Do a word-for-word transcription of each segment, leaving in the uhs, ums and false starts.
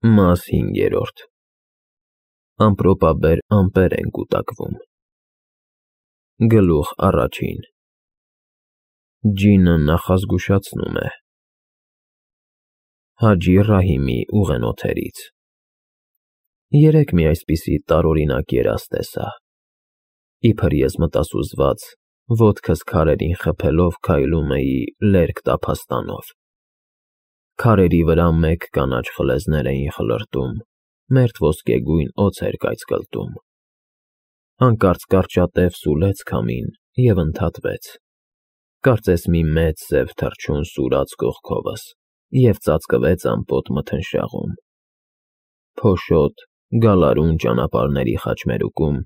Մաս հինգերորդ Ամպրոպաբեր ամպեր են կուտակվում։ Գլուխ առաջին Ջինը նախազգուշացնում է Հաջի Ռահիմի ուղենոթերից Երեկ մի այսպիսի տարօրինակ երազ տեսա։ Իբր ես մտասուզված, ոտքս քարերին խփելով քայլում էի լերկ տափաստանով։ Քարերի վրա մեկ կանաչ խլեզներ էին խլրտում, մերթ ոսկեգույն օձ էր կայծկլտում։ Հանկարծ կարճատև սուլեց քամին և ընդհատվեց, կարծես մի մեծ սև թռչուն սուրաց կողքովս և ծածկվեց ամպոտ մթնշաղում։ Փոշոտ, գալարուն ճանապարհների խաչմերուկում,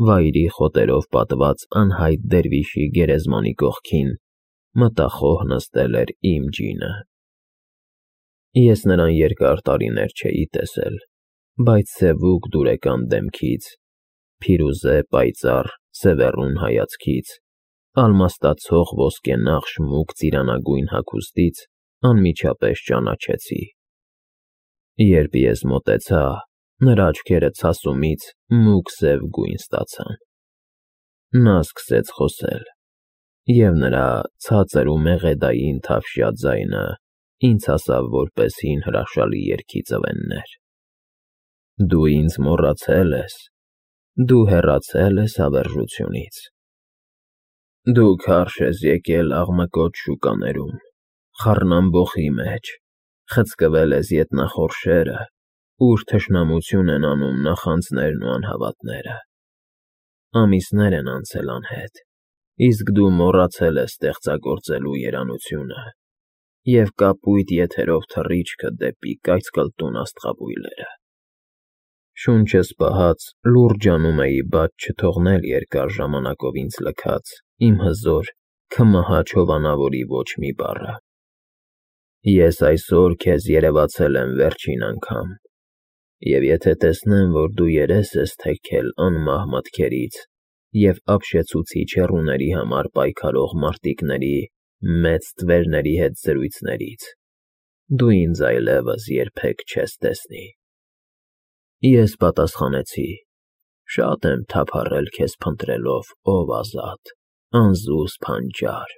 վայրի խոտերով պատված անհայտ դերվիշի գերեզմանի կողքին մտախոհ նստել էր իմ ջինը։ Ես նրան երկար տարիներ չէի տեսել, բայց սևուկ դուրեկան դեմքից, փիրուզե պայծառ սևեռուն հայացքից, ալմաստացող ոսկենախշ մուգ ծիրանագույն հագուստից անմիջապես ճանաչեցի։ Երբ ես մոտեցա, նրա աչքերը ցասումից մուգ սև գույն ստացան։ Նա սկսեց խոսել, և նրա ցածր ու մեղեդային թավշյա ձայնը ինձ հասավ որպես հին հրաշալի երգի ծվեններ։ Դու ինձ մոռացել ես, դու հեռացել ես հավերժությունից։ Դու քարշ ես եկել աղմկոտ շուկաներում, խառնամբոխի մեջ, խցկվել ես ետնախորշերը, ուր թշնամություն են անում նախանձներն ու անհավատները։ Ամիսներ են անցել անհետ, իսկ դու մոռացել ես ստեղծագործելու երանությունը և կապույտ եթերով թռիչքը դեպի կայծկլտուն աստղաբույլերը։ Շունչս պահած լուրջ անում էի բաց չթողնել երկար ժամանակով ինձ լքած իմ հզոր, քմահաճ հովանավորի ոչ մի բառը։ Ես այսօր քեզ երևացել եմ վերջին անգամ, և եթե տեսնեմ, որ դու երես ես թեքել անմահ մտքերից և ապշեցուցիչ հեռուների համար պայքարող մարտիկների մեծ տվերների հետ զրույցներից, դու ինձ այլևս երբեք չես տեսնի։ Ես պատասխանեցի. շատ եմ թափառել քեզ փնտրելով, ով ազատ, անզուսպ հանճար,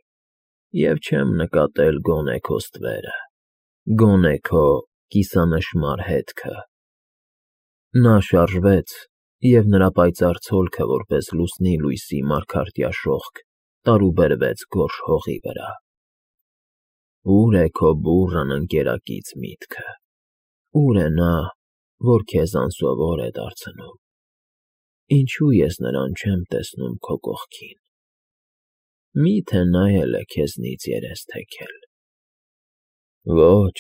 և չեմ նկատել գոնե քո ստվերը, գոնե քո կիսանշմար հետքը։ Նա շարժվեց, և նրա պայծառ ցոլքը որպես լուսնի լույսի մարգարտյա շողք տարուբերվեց գորշ հողի վրա։ Ո՞ւր է քո բուռն ընկերակից միտքը, ո՞ւր է նա, որ քեզ անսովոր է դարձնում։ Ինչո՞ւ ես նրան չեմ տեսնում քո կողքին։ Մի՞թե նայել է քեզնից երես թեքել։ Ոչ,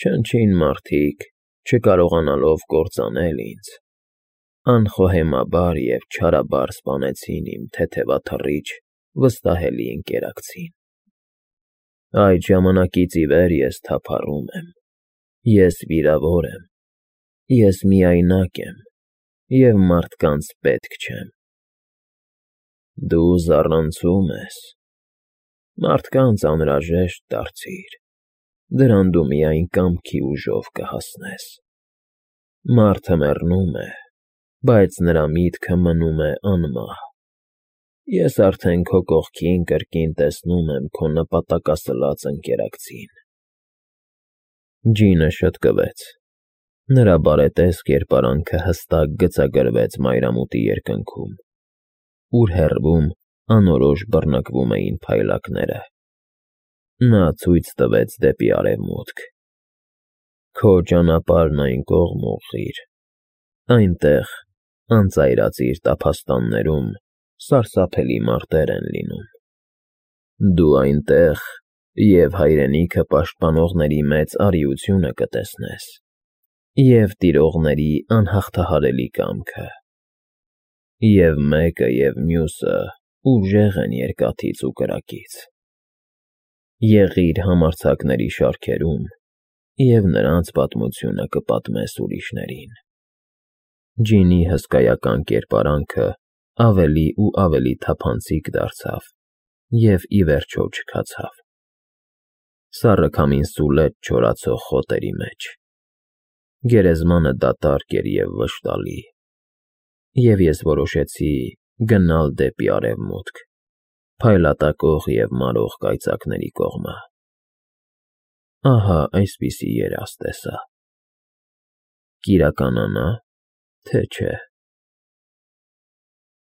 չնչին մարդիկ, չկարողանալով կործանել ինձ, անխոհեմաբար և չարաբար սպանեցին իմ թեթևաթռիչ, վստահելի ընկերակցին։ Այդ ժամանակից ի վեր ես թափառում եմ, ես վիրավոր եմ, ես միայնակ եմ և մարդկանց պետք չեմ։ Դու զառանցում ես, մարդկանց անհրաժեշտ դարձիր, դրան դու միայն կամքի ուժով կհասնես։ Մարդը մեռնում է, բայց նրա միտքը մնում է անմահ։ Ես արդեն քո կողքին կրկին տեսնում եմ քո նպատակասլաց ընկերակցին։ Ջինը շըտկվեց, նրա բարետես կերպարանքը հստակ գծագրվեց մայրամուտի երկնքում, ուր հեռվում անորոշ բռնկվում էին փայլակները։ Նա ցույց տվեց դեպի արևմուտք. Քո ճանապարհն այն կողմ ուղղիր, այնտեղ, անծայրածիր տափաստաններում սարսափելի մարտեր են լինում։ Դու այնտեղ և հայրենիքը պաշտպանողների մեծ արիությունը կտեսնես, և տիրողների անհաղթահարելի կամքը։ Եվ մեկը, և մյուսը ուժեղ են երկաթից ու կրակից։ Եղիր համարձակների շարքերում և նրանց պատմությունը կպատմես ուրիշներին։ Ջինի հսկայական կերպարանքը ավելի ու ավելի թափանցիկ դարձավ և ի վերջո չքացավ։ Սառը քամին սուլեց չորացող խոտերի մեջ։ Գերեզմանը դատարկ էր և վշտալի, և ես որոշեցի գնալ դեպի Արևմուտք, փայլատակող և մարող կայծակների կողմը։ Ահա այսպիսի երազ տեսա. կիրականանա՞, թե չէ։